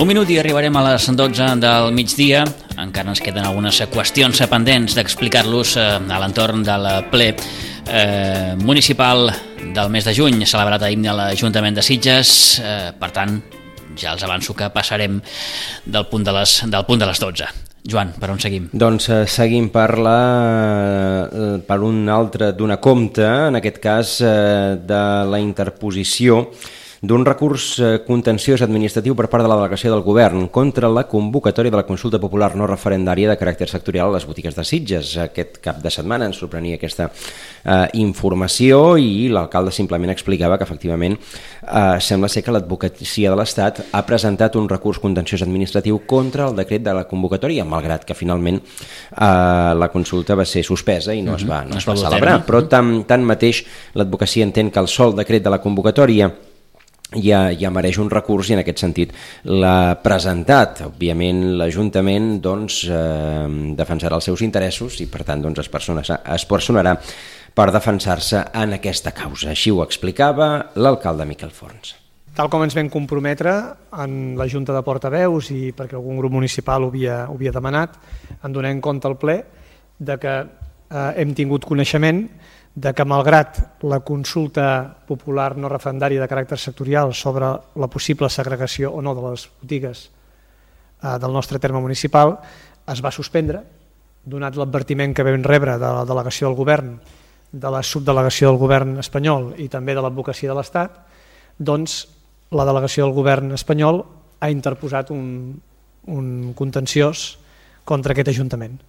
Un minut i arribarem a les 12 del migdia. Encara ens queden algunes qüestions pendents d'explicar-los a l'entorn del ple municipal del mes de juny, celebrat ahir a l'Ajuntament de Sitges. Per tant, ja els avanço que passarem del punt de les 12. Joan, per on seguim? Doncs seguim per un altre d'una compte, en aquest cas de la interposició d'un recurs contenciós administratiu per part de la delegació del Govern contra la convocatòria de la consulta popular no referendària de caràcter sectorial a les botigues de Sitges. Aquest cap de setmana ens sorprenia aquesta informació i l'alcalde simplement explicava que efectivament sembla ser que l'advocacia de l'Estat ha presentat un recurs contenciós administratiu contra el decret de la convocatòria, malgrat que finalment la consulta va ser suspesa i no es va celebrar. Però tanmateix l'advocacia entén que el sol decret de la convocatòria ja mereix un recurs i en aquest sentit l'ha presentat. Òbviament l'Ajuntament defensarà els seus interessos i per tant es personarà per defensar-se en aquesta causa. Així ho explicava l'alcalde Miquel Forns. Tal com ens vam comprometre en la Junta de Portaveus i perquè algun grup municipal ho havia demanat, en donem compte al ple de que hem tingut coneixement de que malgrat la consulta popular no referendària de caràcter sectorial sobre la possible segregació o no de les botigues del nostre terme municipal es va suspendre, donat l'advertiment que vam rebre de la delegació del govern, de la subdelegació del govern espanyol i també de l'advocacia de l'Estat, doncs la delegació del govern espanyol ha interposat un contenciós contra aquest Ajuntament.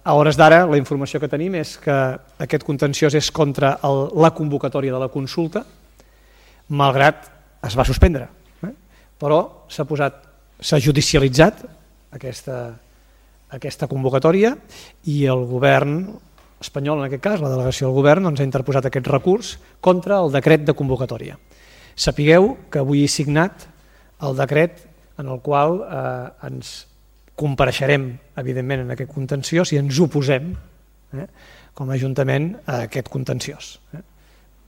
A hores d'ara, la informació que tenim és que aquest contenciós és contra la convocatòria de la consulta, malgrat es va suspendre. Però s'ha judicialitzat aquesta convocatòria i el govern espanyol, en aquest cas, la delegació del govern, ha interposat aquest recurs contra el decret de convocatòria. Sapigueu que avui he signat el decret en el qual ens compareixerem, evidentment, en aquest contenciós i ens oposem com a Ajuntament a aquest contenciós.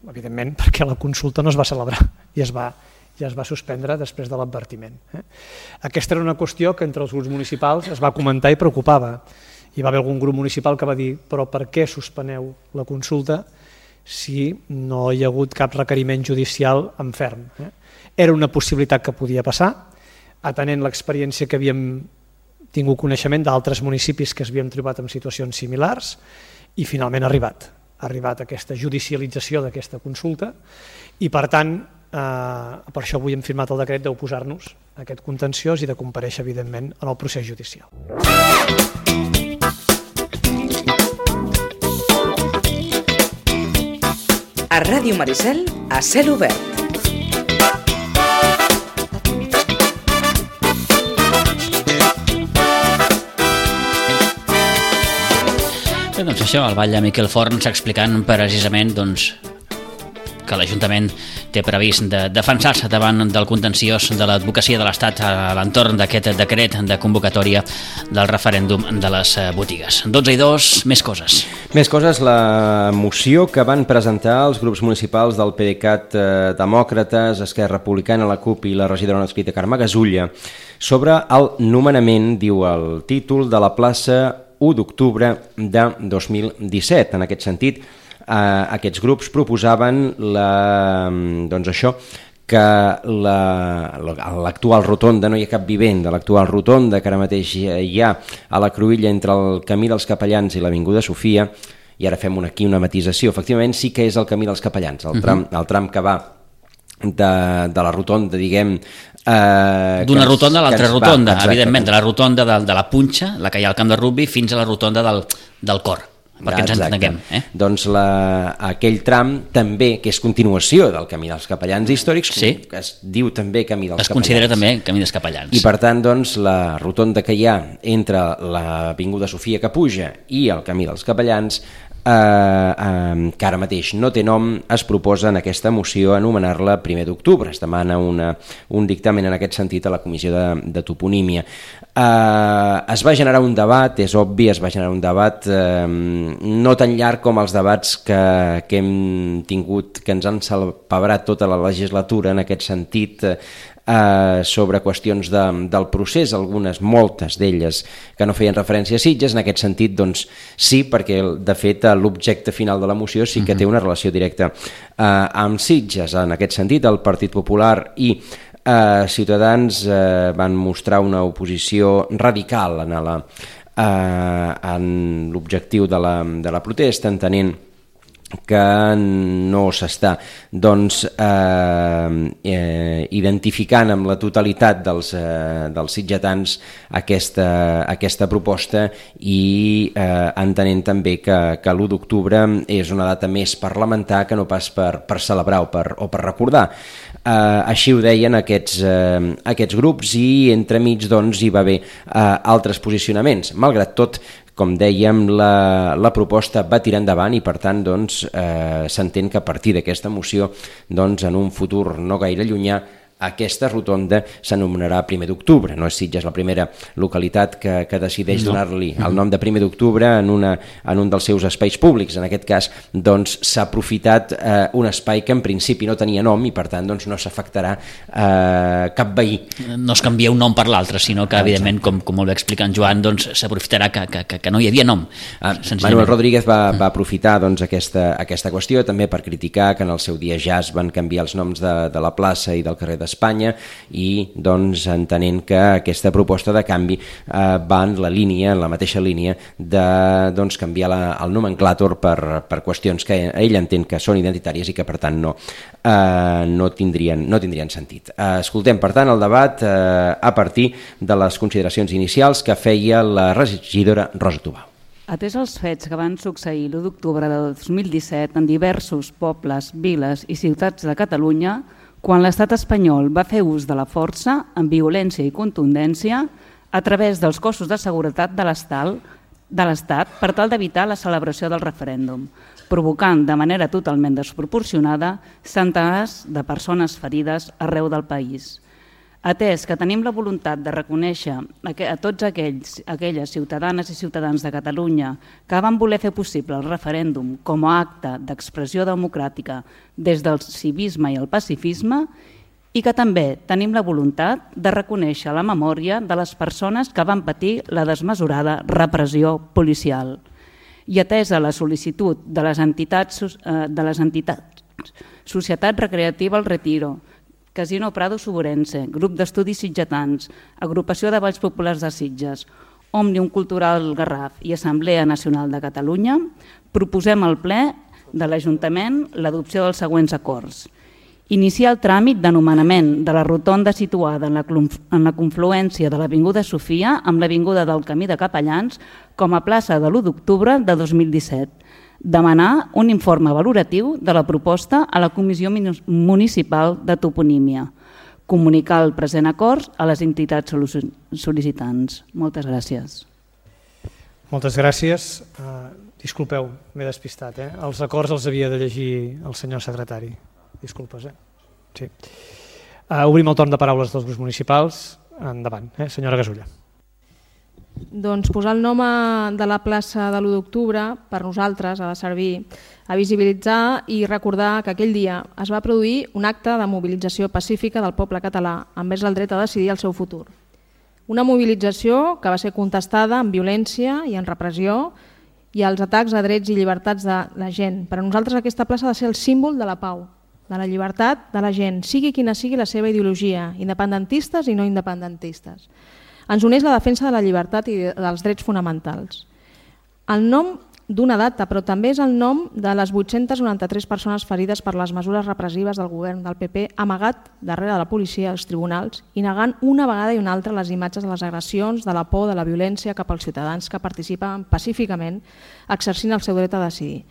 Evidentment, perquè la consulta no es va celebrar i es va suspendre després de l'advertiment. Aquesta era una qüestió que entre els grups municipals es va comentar i preocupava. Hi va haver algun grup municipal que va dir però per què suspeneu la consulta si no hi ha hagut cap requeriment judicial en ferm? Era una possibilitat que podia passar, atenent l'experiència que havíem tingut coneixement d'altres municipis que s'havien trobat en situacions similars i finalment ha arribat aquesta judicialització d'aquesta consulta i per tant per això avui hem firmat el decret d'oposar-nos a aquest contenciós i de comparèixer evidentment en el procés judicial. A Ràdio Maricel, a cel obert. Doncs això, el ball de Miquel Forns explicant precisament que l'Ajuntament té previst de defensar-se davant del contenciós de l'advocacia de l'Estat a l'entorn d'aquest decret de convocatòria del referèndum de les botigues. 12:02, més coses. Més coses, la moció que van presentar els grups municipals del PDeCAT, Demòcrates, Esquerra Republicana, la CUP i la regidora no adscrita Carme Gasulla sobre el nomenament, diu el títol, de la plaça 1 d'octubre de 2017. En aquest sentit, aquests grups proposaven que l'actual rotonda, no hi ha cap vivent de l'actual rotonda que ara mateix hi ha a la cruïlla entre el Camí dels Capellans i l'Avinguda Sofia, i ara fem aquí una matisació, efectivament sí que és el Camí dels Capellans, el tram que va de la rotonda, diguem... D'una rotonda a l'altra rotonda, evidentment, de la rotonda de la Punxa, la que hi ha al camp de rugbi, fins a la rotonda del Cor, perquè ens entenguem. Doncs aquell tram també, que és continuació del Camí dels Capellans històrics, que es diu també Camí dels Capellans. Es considera també Camí dels Capellans. I per tant, doncs, la rotonda que hi ha entre l'Avinguda Sofia que puja i el Camí dels Capellans, que ara mateix no té nom, es proposa en aquesta moció anomenar-la 1 d'octubre. Es demana un dictamen en aquest sentit a la Comissió de Toponímia. Es va generar un debat, és obvi, es va generar un debat no tan llarg com els debats que hem tingut, que ens han salpebrat tota la legislatura en aquest sentit, sobre qüestions del procés, algunes, moltes d'elles que no feien referència a Sitges. En aquest sentit, doncs sí, perquè de fet l'objecte final de la moció sí que té una relació directa amb Sitges. En aquest sentit, el Partit Popular i Ciutadans van mostrar una oposició radical en l'objectiu de la protesta, entenent que no s'està identificant amb la totalitat dels sitgetans aquesta proposta, i entenent també que l'1 d'octubre és una data més per lamentar que no pas per celebrar o per recordar. Així ho deien aquests grups, i entremig hi va haver altres posicionaments. Malgrat tot, com dèiem, la proposta va tirar endavant, i per tant s'entén que a partir d'aquesta moció, en un futur no gaire llunyà, aquesta rotonda s'anomenarà 1 d'octubre. No és Sitges la primera localitat que decideix donar-li el nom de 1 d'octubre en un dels seus espais públics. En aquest cas s'ha aprofitat un espai que en principi no tenia nom, i per tant no s'afectarà cap veí. No es canvia un nom per l'altre, sinó que evidentment, com molt bé explica en Joan, s'aprofitarà que no hi havia nom. Manuel Rodríguez va aprofitar aquesta qüestió també per criticar que en el seu dia ja es van canviar els noms de la plaça i del carrer d'Espanya, i entenent que aquesta proposta de canvi va en la mateixa línia de canviar el nomenclàtor per qüestions que ell entén que són identitàries i que per tant no tindrien sentit. Escoltem per tant el debat a partir de les consideracions inicials que feia la regidora Rosa Tubau. Atès els fets que van succeir l'1 d'octubre de 2017 en diversos pobles, viles i ciutats de Catalunya, quan l'estat espanyol va fer ús de la força amb violència i contundència a través dels cossos de seguretat de l'Estat per tal d'evitar la celebració del referèndum, provocant de manera totalment desproporcionada centenars de persones ferides arreu del país. Atès que tenim la voluntat de reconèixer a tots aquelles ciutadanes i ciutadans de Catalunya que van voler fer possible el referèndum com a acte d'expressió democràtica des del civisme i el pacifisme, i que també tenim la voluntat de reconèixer la memòria de les persones que van patir la desmesurada repressió policial. I atesa la sol·licitud de les entitats Societat Recreativa El Retiro, Casino Prado Suburense, Grup d'Estudis Sitgetans, Agrupació de Balls Populars de Sitges, Òmnium Cultural Garraf i Assemblea Nacional de Catalunya, proposem al ple de l'Ajuntament l'adopció dels següents acords. Iniciar el tràmit de nomenament de la rotonda situada en la confluència de l'Avinguda Sofia amb l'Avinguda del Camí de Capellans com a plaça de l'1 d'octubre de 2017. Demanar un informe valoratiu de la proposta a la Comissió Municipal de Toponímia. Comunicar el present acord a les entitats sol·licitants. Moltes gràcies. Moltes gràcies. Disculpeu, m'he despistat. Els acords els havia de llegir el senyor secretari. Disculpes. Sí. Obrim el torn de paraules dels grups municipals. Endavant, senyora Gasulla. Doncs posar el nom de la plaça de l'1 d'octubre per nosaltres ha de servir a visibilitzar i recordar que aquell dia es va produir un acte de mobilització pacífica del poble català envers el dret a decidir el seu futur. Una mobilització que va ser contestada amb violència i en repressió i als atacs a drets i llibertats de la gent. Per a nosaltres aquesta plaça ha de ser el símbol de la pau, de la llibertat de la gent, sigui quina sigui la seva ideologia, independentistes i no independentistes. Ens uneix la defensa de la llibertat i dels drets fonamentals. El nom d'una data, però també és el nom de les 893 persones ferides per les mesures repressives del govern del PP amagat darrere de la policia als tribunals i negant una vegada i una altra les imatges de les agressions, de la por, de la violència cap als ciutadans que participen pacíficament exercint el seu dret a decidir.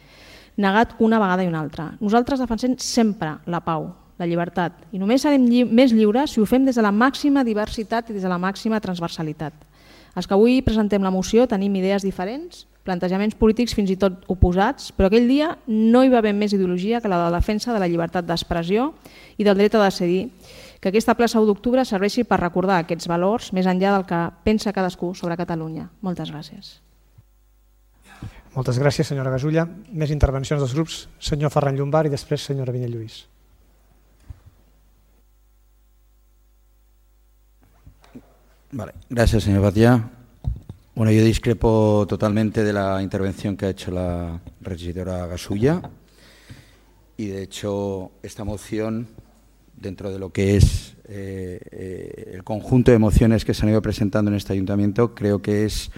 Negat una vegada i una altra. Nosaltres defensem sempre la pau, la llibertat, i només serem més lliures si ho fem des de la màxima diversitat i des de la màxima transversalitat. Els que avui presentem la moció tenim idees diferents, plantejaments polítics fins i tot oposats, però aquell dia no hi va haver més ideologia que la de la defensa de la llibertat d'expressió i del dret a decidir que aquesta plaça 1 d'octubre serveixi per recordar aquests valors més enllà del que pensa cadascú sobre Catalunya. Moltes gràcies. Moltes gràcies, senyora Gasulla. Més intervencions dels grups. Senyor Ferran Llombart i després senyora Vinyet Lluís. Vale. Gracias, señor Batia. Bueno, yo discrepo totalmente de la intervención que ha hecho la regidora Gasulla y, de hecho, esta moción, dentro de lo que es el conjunto de mociones que se han ido presentando en este ayuntamiento, creo que es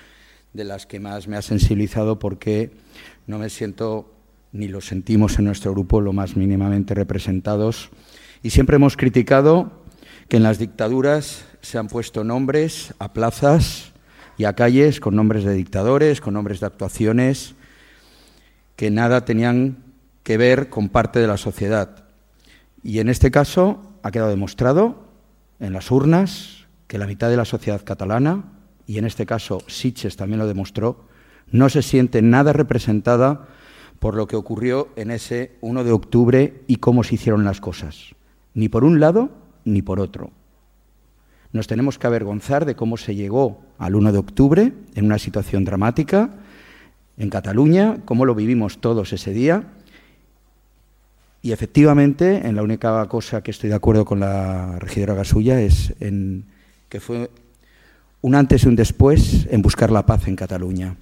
de las que más me ha sensibilizado, porque no me siento, ni lo sentimos en nuestro grupo, lo más mínimamente representados. Y siempre hemos criticado que en las dictaduras se han puesto nombres a plazas y a calles con nombres de dictadores, con nombres de actuaciones que nada tenían que ver con parte de la sociedad. Y en este caso ha quedado demostrado en las urnas que la mitad de la sociedad catalana, y en este caso Sitges también lo demostró, no se siente nada representada por lo que ocurrió en ese 1 de octubre y cómo se hicieron las cosas, ni por un lado ni por otro. Nos tenemos que avergonzar de cómo se llegó al 1 de octubre en una situación dramática en Cataluña, cómo lo vivimos todos ese día. Y efectivamente, en la única cosa que estoy de acuerdo con la regidora Gasulla es en que fue un antes y un después en buscar la paz en Cataluña.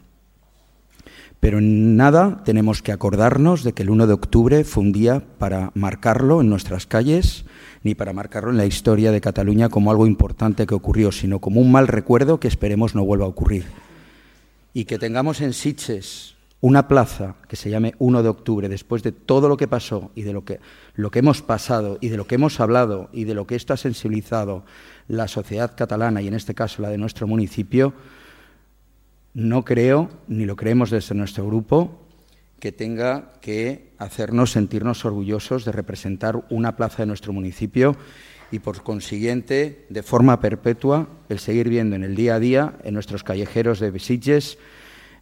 Pero en nada tenemos que acordarnos de que el 1 de octubre fue un día para marcarlo en nuestras calles, ni para marcarlo en la historia de Cataluña como algo importante que ocurrió, sino como un mal recuerdo que esperemos no vuelva a ocurrir. Y que tengamos en Sitges una plaza que se llame 1 de octubre, después de todo lo que pasó y de lo que hemos pasado y de lo que hemos hablado y de lo que esto ha sensibilizado la sociedad catalana y en este caso la de nuestro municipio, no creo, ni lo creemos desde nuestro grupo, que tenga que hacernos sentirnos orgullosos de representar una plaza de nuestro municipio y, por consiguiente, de forma perpetua, el seguir viendo en el día a día, en nuestros callejeros de Sitges,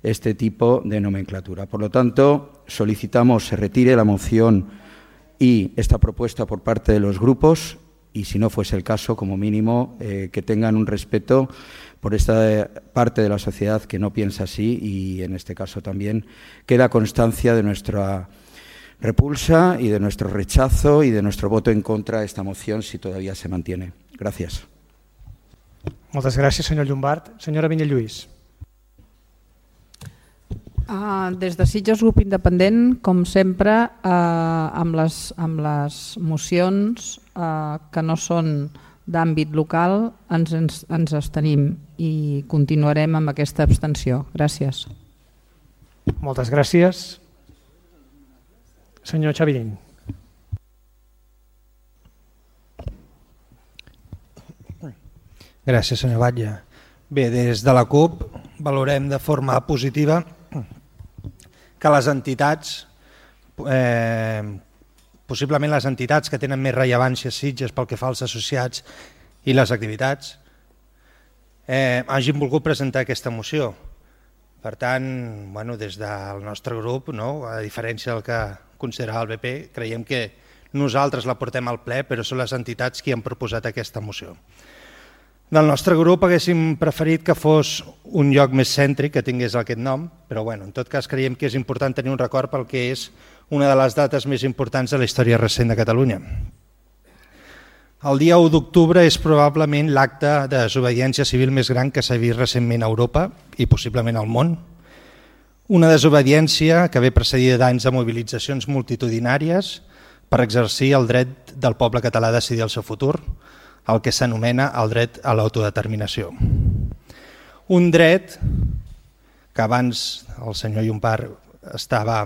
este tipo de nomenclatura. Por lo tanto, solicitamos se retire la moción y esta propuesta por parte de los grupos y, si no fuese el caso, como mínimo, que tengan un respeto por esta parte de la sociedad que no piensa así y, en este caso, también queda constancia de nuestra repulsa y de nuestro rechazo y de nuestro voto en contra de esta moción si todavía se mantiene. Gràcies. Moltes gràcies, senyor Llombart. Senyora Vinyet Lluís. Des de Sitges Grup Independent, com sempre, amb les mocions que no són d'àmbit local ens abstenim i continuarem amb aquesta abstenció. Gràcies. Moltes gràcies. Senyor Xavirín. Gràcies, senyor Batlle. Bé, des de la CUP valorem de forma positiva que les entitats, possiblement les entitats que tenen més rellevància a Sitges pel que fa als associats i les activitats, hagin volgut presentar aquesta moció. Per tant, des del nostre grup, a diferència del que considerava el BP, creiem que nosaltres la portem al ple, però són les entitats qui han proposat aquesta moció. Del nostre grup haguéssim preferit que fos un lloc més cèntric, que tingués aquest nom, però en tot cas creiem que és important tenir un record pel que és una de les dates més importants de la història recent de Catalunya. El dia 1 d'octubre és probablement l'acte de desobediència civil més gran que s'ha vist recentment a Europa i possiblement al món. Una desobediència que ve precedida d'anys de mobilitzacions multitudinàries per exercir el dret del poble català a decidir el seu futur, el que s'anomena el dret a l'autodeterminació. Un dret que abans el senyor Llombart estava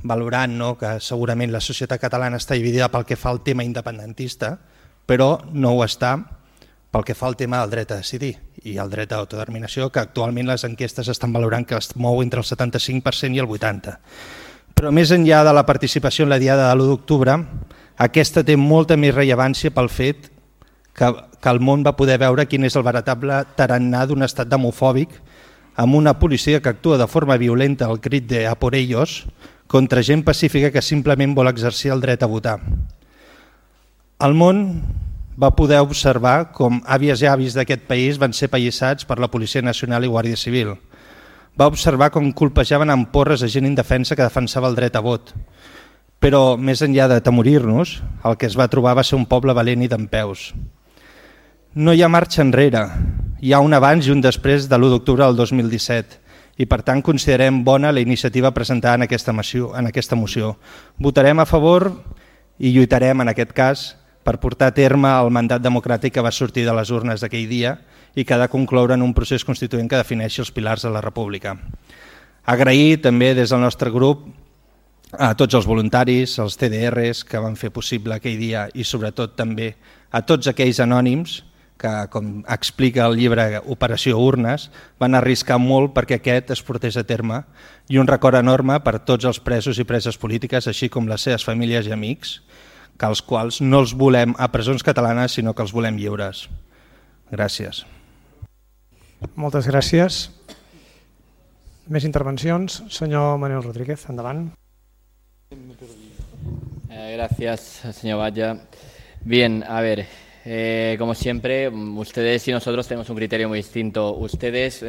valorant, que segurament la societat catalana està dividida pel que fa al tema independentista, però no ho està pel que fa al tema del dret a decidir i el dret a l'autodeterminació, que actualment les enquestes estan valorant que es mou entre el 75% i el 80%. Però més enllà de la participació en la diada de l'1 d'octubre, aquesta té molta més rellevància pel fet que el món va poder veure quin és el veritable tarannà d'un estat demofòbic amb una policia que actua de forma violenta al crit de "a por ellos" contra gent pacífica que simplement vol exercir el dret a votar. El món va poder observar com àvies i avis d'aquest país van ser pallissats per la Policia Nacional i Guàrdia Civil. Va observar com colpejaven amb porres a gent indefensa que defensava el dret a vot. Però, més enllà d'atemorir-nos, el que es va trobar va ser un poble valent i dempeus. No hi ha marxa enrere, hi ha un abans i un després de l'1 d'octubre del 2017 i per tant considerem bona la iniciativa presentada en aquesta moció. Votarem a favor i lluitarem en aquest cas per portar a terme el mandat democràtic que va sortir de les urnes d'aquell dia i que ha de concloure en un procés constituent que defineixi els pilars de la República. Agrair també des del nostre grup a tots els voluntaris, als CDRs que van fer possible aquell dia i sobretot també a tots aquells anònims que, com explica el llibre Operació Urnes, van arriscar molt perquè aquest es portés a terme i un record enorme per tots els presos i preses polítiques, així com les seves famílies i amics, que els quals no els volem a presons catalanes, sinó que els volem lliures. Gràcies. Moltes gràcies. Més intervencions. Senyor Manuel Rodríguez, endavant. Gracias, señor Valla. Bien, a ver, como siempre, ustedes y nosotros tenemos un criterio muy distinto. Ustedes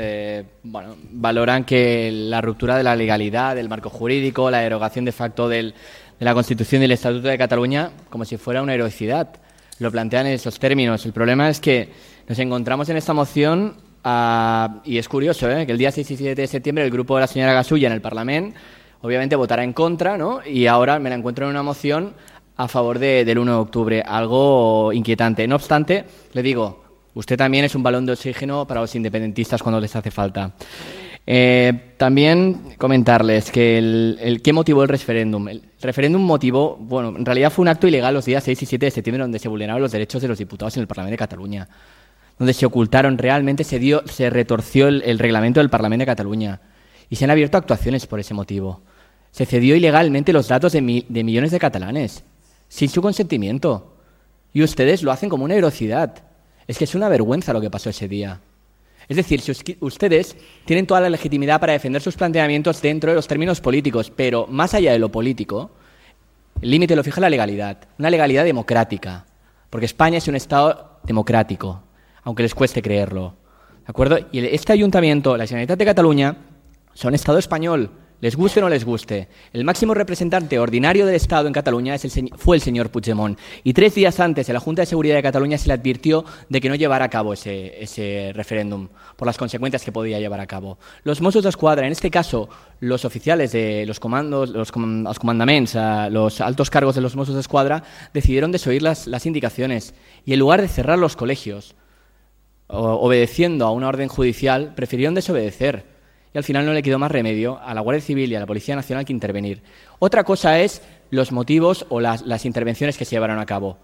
valoran que la ruptura de la legalidad, del marco jurídico, la derogación de facto de la Constitución y el Estatuto de Cataluña como si fuera una heroicidad. Lo plantean en esos términos. El problema es que nos encontramos en esta moción y es curioso que el día 6 y 7 de septiembre el grupo de la señora Gasulla en el Parlamento obviamente votará en contra, ¿no? Y ahora me la encuentro en una moción a favor del 1 de octubre, algo inquietante. No obstante, le digo, usted también es un balón de oxígeno para los independentistas cuando les hace falta. También comentarles que ¿qué motivó el referéndum? El referéndum motivó, en realidad fue un acto ilegal los días 6 y 7 de septiembre donde se vulneraron los derechos de los diputados en el Parlamento de Cataluña, donde se ocultaron realmente, se retorció el reglamento del Parlamento de Cataluña y se han abierto actuaciones por ese motivo. Se cedió ilegalmente los datos de millones de catalanes, sin su consentimiento. Y ustedes lo hacen como una heroicidad. Es que es una vergüenza lo que pasó ese día. Es decir, si ustedes tienen toda la legitimidad para defender sus planteamientos dentro de los términos políticos, pero más allá de lo político, el límite lo fija la legalidad, una legalidad democrática, porque España es un Estado democrático, aunque les cueste creerlo. ¿De acuerdo? Y este ayuntamiento, la Generalitat de Cataluña, son Estado español, les guste o no les guste. El máximo representante ordinario del Estado en Cataluña fue el señor Puigdemont. Y 3 días antes, en la Junta de Seguridad de Cataluña se le advirtió de que no llevara a cabo ese referéndum, por las consecuencias que podía llevar a cabo. Los Mossos d'Esquadra, en este caso, los oficiales de los comandos, los comandaments, los altos cargos de los Mossos d'Esquadra, decidieron desoír las indicaciones. Y en lugar de cerrar los colegios, obedeciendo a una orden judicial, prefirieron desobedecer. Y al final no le quedó más remedio a la Guardia Civil y a la Policía Nacional que intervenir. Otra cosa es los motivos o las intervenciones que se llevaron a cabo.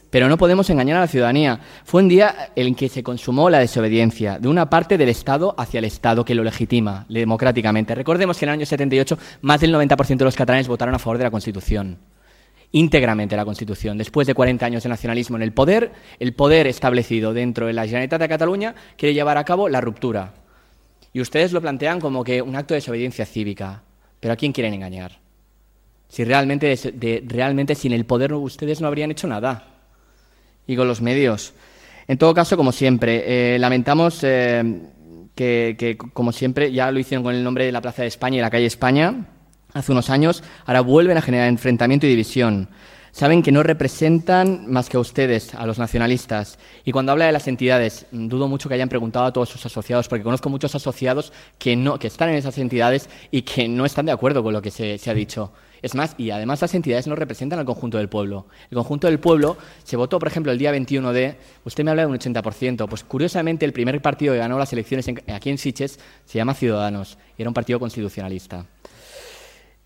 Pero no podemos engañar a la ciudadanía. Fue un día en que se consumó la desobediencia de una parte del Estado hacia el Estado que lo legitima democráticamente. Recordemos que en el año 78 más del 90% de los catalanes votaron a favor de la Constitución. Íntegramente la Constitución. Después de 40 años de nacionalismo en el poder establecido dentro de la Generalitat de Cataluña quiere llevar a cabo la ruptura. Y ustedes lo plantean como que un acto de desobediencia cívica. ¿Pero a quién quieren engañar? Si realmente sin el poder ustedes no habrían hecho nada. Y con los medios. En todo caso, como siempre, lamentamos que, como siempre, ya lo hicieron con el nombre de la Plaza de España y la calle España hace unos años, ahora vuelven a generar enfrentamiento y división. Saben que no representan más que a ustedes, a los nacionalistas. Y cuando habla de las entidades, dudo mucho que hayan preguntado a todos sus asociados, porque conozco muchos asociados que están en esas entidades y que no están de acuerdo con lo que se ha dicho. Es más, y además las entidades no representan al conjunto del pueblo. El conjunto del pueblo se votó, por ejemplo, el día 21 usted me habla de un 80%, pues curiosamente el primer partido que ganó las elecciones aquí en Sitges se llama Ciudadanos, y era un partido constitucionalista.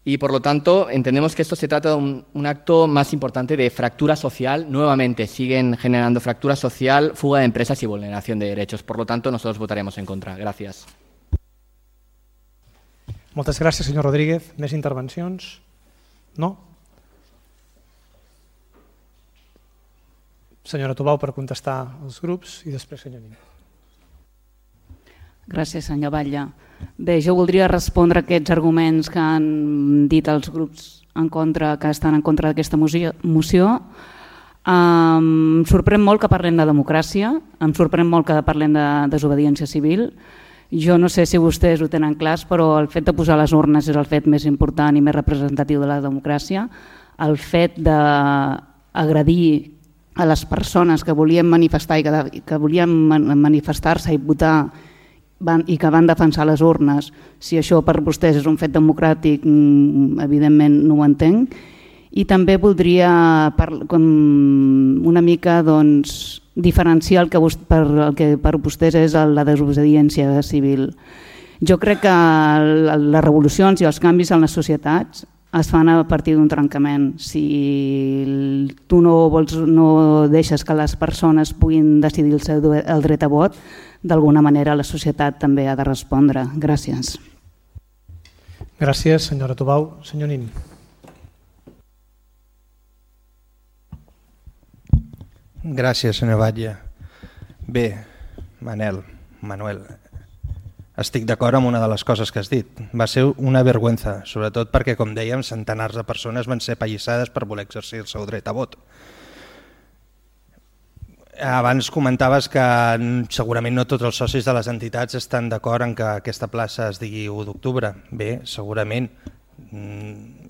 Y, por lo tanto, entendemos que esto se trata de un acto más importante de fractura social. Nuevamente, siguen generando fractura social, fuga de empresas y vulneración de derechos. Por lo tanto, nosotros votaremos en contra. Gràcies. Moltes gràcies, senyor Rodríguez. Més intervencions? No? Senyora Tubau, per contestar als grups, i després senyor Nin. Gràcies, senyor Batlle. Bé, jo voldria respondre a aquests arguments que han dit els grups que estan en contra d'aquesta moció. Em sorprèn molt que parlem de democràcia, em sorprèn molt que parlem de desobediència civil. Jo no sé si vostès ho tenen clars, però el fet de posar les urnes és el fet més important i més representatiu de la democràcia. El fet d'agredir a les persones que volien manifestar i que volien manifestar-se i votar i que van defensar les urnes, si això per vostès és un fet democràtic, evidentment no ho entenc. I també voldria una mica diferenciar el que per vostès és la desobediència civil. Jo crec que les revolucions i els canvis en les societats es fan a partir d'un trencament. Si tu no deixes que les persones puguin decidir el dret a vot, d'alguna manera la societat també ha de respondre. Gràcies. Gràcies, senyora Tubau. Senyor Nin. Gràcies, senyor Batlle. Bé, Manuel, estic d'acord amb una de les coses que has dit. Va ser una vergüenza, sobretot perquè, com dèiem, centenars de persones van ser apallissades per voler exercir el seu dret a vot. Abans comentaves que segurament no tots els socis de les entitats estan d'acord en que aquesta plaça es digui 1 d'octubre. Bé, segurament,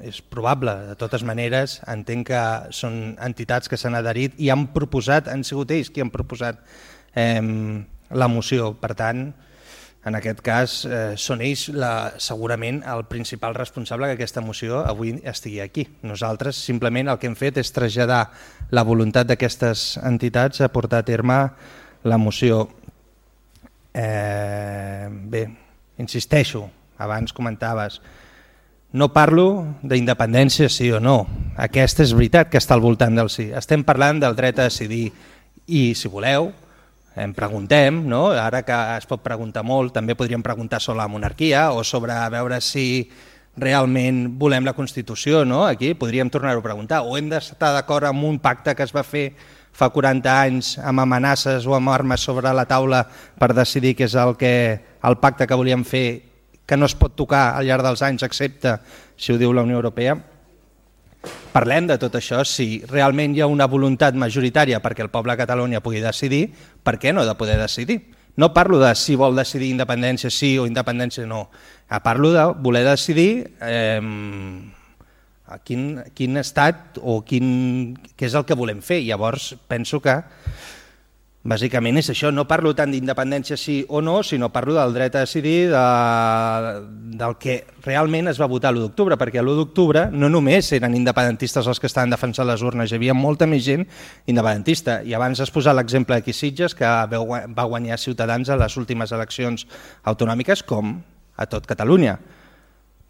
és probable. De totes maneres, entenc que són entitats que s'han adherit i han sigut ells qui han proposat la moció. Per tant, en aquest cas, són ells segurament el principal responsable que aquesta moció avui estigui aquí. Nosaltres simplement el que hem fet és traslladar la voluntat d'aquestes entitats a portar a terme la moció. Bé, insisteixo, abans comentaves, no parlo d'independència sí o no. Aquesta és veritat que està al voltant del sí. Estem parlant del dret a decidir i, si voleu, em preguntem, no? Ara que es pot preguntar molt, també podríem preguntar sobre la monarquia o sobre veure si realment volem la Constitució, no? Aquí podríem tornar-ho a preguntar. O hem d'estar d'acord amb un pacte que es va fer fa 40 anys amb amenaces o amb armes sobre la taula per decidir què és el pacte que volíem fer, que no es pot tocar al llarg dels anys, excepte si ho diu la Unió Europea. Parlem de tot això. Si realment hi ha una voluntat majoritària perquè el poble de Catalunya pugui decidir, per què no ha de poder decidir? No parlo de si vol decidir independència sí o independència no. Parlo de voler decidir quin estat o què és el que volem fer. Llavors penso que bàsicament és això. No parlo tant d'independència sí o no, sinó parlo del dret a decidir, del que realment es va votar l'1 d'octubre, perquè l'1 d'octubre no només eren independentistes els que estaven defensant les urnes, hi havia molta més gent independentista. I abans has posat l'exemple d'aquí Sitges, que va guanyar Ciutadans a les últimes eleccions autonòmiques, com a tot Catalunya.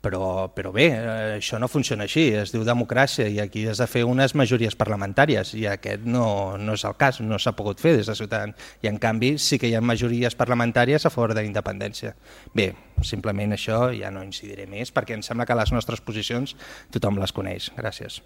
Però bé, això no funciona així, es diu democràcia i aquí has de fer unes majories parlamentàries i aquest no és el cas, no s'ha pogut fer des de Ciutadans i en canvi sí que hi ha majories parlamentàries a favor de la independència. Bé, simplement això ja no incidiré més perquè em sembla que les nostres posicions tothom les coneix. Gràcies.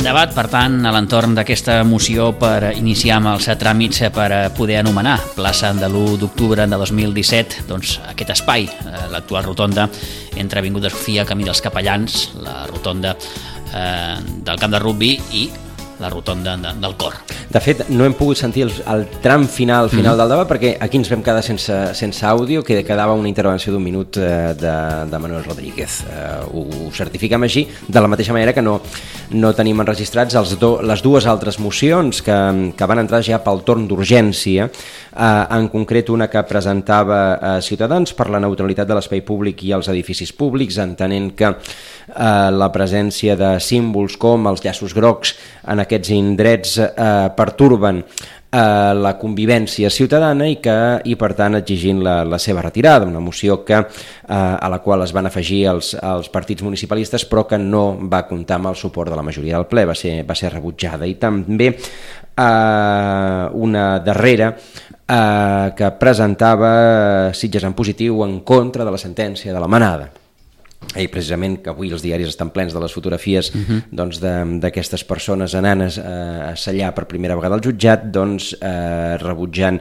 Debat, per tant, a l'entorn d'aquesta moció per iniciar amb els tràmits per poder anomenar plaça de l'1 d'octubre de 2017 aquest espai, l'actual rotonda entre Avinguda Sofia, Camí dels Capellans, la rotonda del camp de rugbi i la rotonda del Cor. De fet, no hem pogut sentir el tram final del debat perquè aquí ens vam quedar sense àudio, que quedava una intervenció d'1 minut de Manuel Rodríguez. Ho certifiquem així, de la mateixa manera que no tenim enregistrats les dues altres mocions que van entrar ja pel torn d'urgència, en concret una que presentava Ciutadans per la neutralitat de l'espai públic i els edificis públics, entenent que la presència de símbols com els llaços grocs en aquests indrets perturben la convivència ciutadana i per tant exigint la seva retirada, una moció a la qual es van afegir els partits municipalistes però que no va comptar amb el suport de la majoria del ple, va ser rebutjada. I també una darrera que presentava Sitges en positiu en contra de la sentència de la Manada. i precisament que avui els diaris estan plens de les fotografies doncs, d'aquestes persones anant a sellar per primera vegada al jutjat, doncs, rebutjant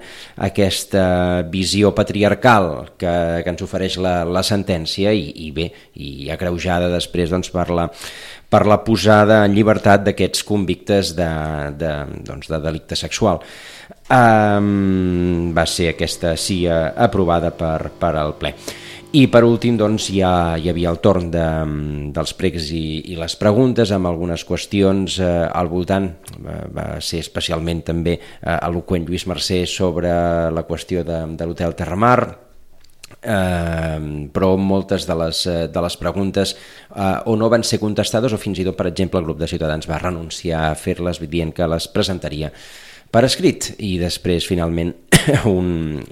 aquesta visió patriarcal que ens ofereix la sentència i bé, i agreujada després doncs, per la posada en llibertat d'aquests convictes de delicte sexual. Va ser aquesta sí aprovada per al ple. I per últim doncs, ja hi havia el torn dels pregs i les preguntes amb algunes qüestions al voltant. Va ser especialment també eloqüent Lluís Mercè sobre la qüestió de l'hotel Terramar, però moltes de les preguntes o no van ser contestades o fins i tot, per exemple, el grup de Ciutadans va renunciar a fer-les dient que les presentaria per escrit, i després finalment un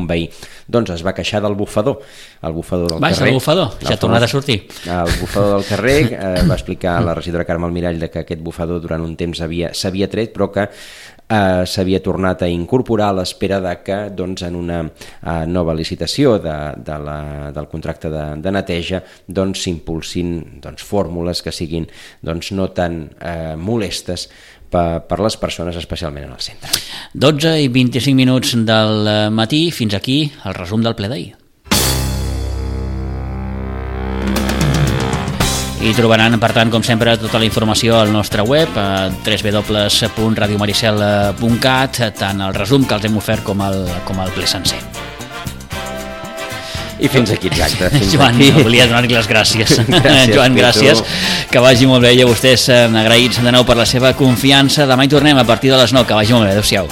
veí doncs es va queixar del bufador del carrer. El bufador, ja ha tornat a sortir. El bufador del carrer, va explicar la regidora Carme Almirall que aquest bufador durant un temps s'havia tret, però que s'havia tornat a incorporar a l'espera que doncs, en una nova licitació del contracte de neteja doncs, s'impulsin doncs, fórmules que siguin doncs, no tan molestes per les persones, especialment en el centre. 12 i 25 minuts del matí, fins aquí el resum del ple d'ahir. I trobaran, per tant, com sempre, tota la informació al nostre web, a www.radiomaricel.cat, tant el resum que els hem ofert com el ple sencer. I fins aquí, exacte. Joan, volia donar-li les gràcies. Joan, gràcies. Que vagi molt bé, i a vostès agraïts de nou per la seva confiança. Demà hi tornem a partir de les 9. Que vagi molt bé. Adéu-siau.